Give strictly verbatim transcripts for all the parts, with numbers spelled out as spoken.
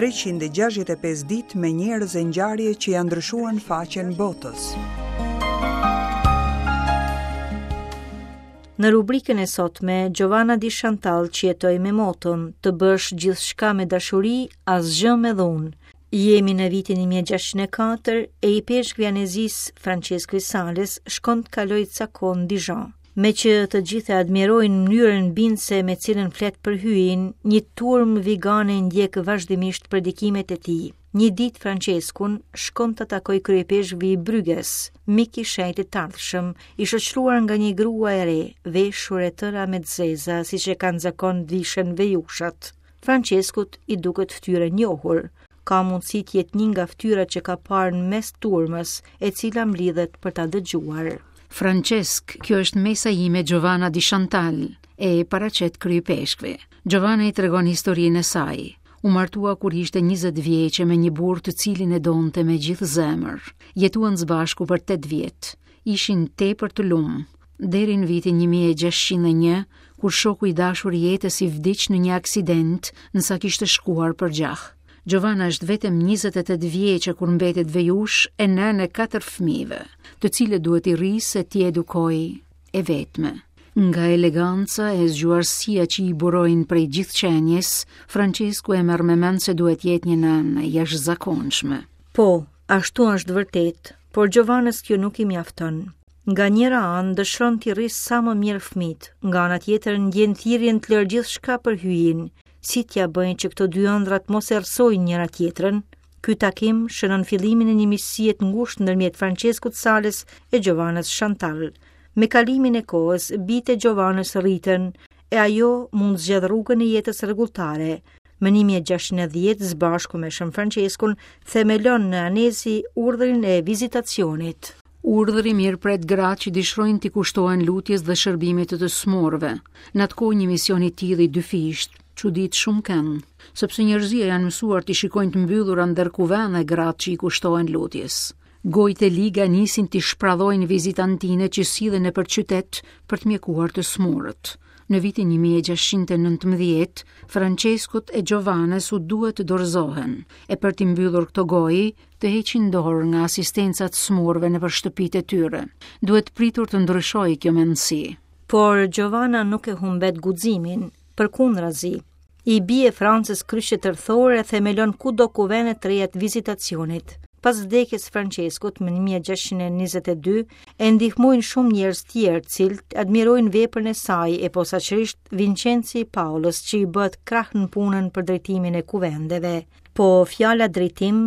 treqind e gjashtëdhjetë e pesë ditë me njerëz e ngjarje që janë ndryshuar në faqen botës. Në rubrikën e sotme, Giovanna di Chantal që jetoi me moton, të bësh gjithçka me dashuri, asgjë me dhunë. Jemi në vitin një mijë e gjashtëqind e katër e ipeshkvi i Anezisë Francesco i Sales shkon të kalojë ca kohë në Dijon. Me që të gjithë e admirojnë mënyrën bindëse me cilën flet për hyjin, një turmë vigane ndjek vazhdimisht predikimet e tij. Një ditë Franceskun shkon të takoj kryepeshkvi i Bryges, mik i shenjtit të ardhshëm, i shoqëruar nga një grua e re, veshur e tëra me të zeza, siç e kanë zakon vishen vejushat. Franceskut i duket fytyrë e njohur. Ka mundësi të jetë një nga fytyrat që ka parë në mes turmës, e cila mblidhet për ta dëgjuar. Francesc, kjo është mesa ime Giovanna di Chantal, e paraqet kryepeshkvi. Giovanna i tregon historinë e saj. U martua kur ishte njëzet vjeçe me një burrë të cilin e donte me gjithë zemër. Jetuan së bashku për tetë vjet. Ishin tepër të lumë. Deri në vitin një mijë e gjashtëqind e një, kur shoku i dashur i jetës i vdiq në një aksident, nësa kishte shkuar për gjah. Giovanna është vetëm njëzet e tetë vjeçe kur mbetet vejush e nënë e katër fëmijëve, të cilët duhet i rrisë e t'i edukojë e vetme. Nga eleganca e zgjuarsia që i burojnë prej gjithë qenies, Francesku e merr me mend se duhet jetë një nënë e jashtëzakonshme. Po, ashtu është vërtet, por Giovannës kjo nuk i mjafton. Nga njëra anë dëshiron t'i rrisë sa më mirë fëmijët, nga ana tjetër ndjen thirrjen të lërë gjithçka për hyjin. Si t'ja bëjnë që këto dy ëndrat mos errësojnë njëra tjetrën? Ky takim shënon fillimin e një miqësie të ngushtë ndërmjet Franceskut Sales e Giovannës Chantal. Me kalimin e kohës, bijtë e Giovannës rriten e ajo mund zgjedh rrugën e jetës rregulltare. Më një mijë e gjashtëqind e dhjetë, së bashku me Shën Franceskun, themelon në Anezi urdhrin e vizitacionit. Urdhri mirëpret gratë që dëshirojnë t'i kushtohen lutjes dhe shërbimit të të smurëve. Në atë kohë një mision i tillë i dyfisht çudit shumë kënd, sepse njerëzia janë mësuar t'i shikojnë të mbyllura ndër kuvende gratë që i kushtohen lutjes. Gojët e liga nisin t'i shpradhojnë vizitantinet që sillen nëpër qytet për të mjekuar të smurët. Në vitin një mijë e gjashtëqind e nëntëmbëdhjetë, Franceskut e Giovannës u duhet të dorëzohen, e për t'i mbyllur këto gojë, të heqin dorë nga asistenca të smurëve nëpër shtëpitë e tyre. Duhet pritur të ndryshojë kjo mendësi. Por Giovanna nuk e humbet guximin, përkundrazi. I bie Francës kryqe tërthore e themelon kudo kuvende të reja të vizitacionit. Pas vdekjes së Franceskut më një mijë e gjashtëqind e njëzet e dy, e ndihmojnë shumë njerëz tjerë, të cilët admirojnë veprën e saj e posaçërisht Vincenzi i Paolës, që i bëhet krah në punën për drejtimin e kuvendeve. Po fjala drejtim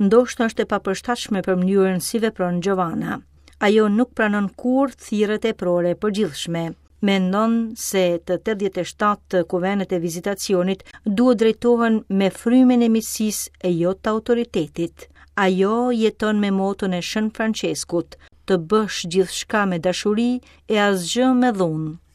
ndoshta është e papërshtatshme për mënyrën si vepron Giovanna. Ajo nuk pranon kurrë thirrjet e prore përgjithshme. Mendon se të tetëdhjetë e shtatë kuvendet e vizitacionit duhet drejtohen me frymën e miqësisë e jo të autoritetit. Ajo jeton me moton e Shën Franceskut, të bësh gjithçka me dashuri e asgjë me dhunë.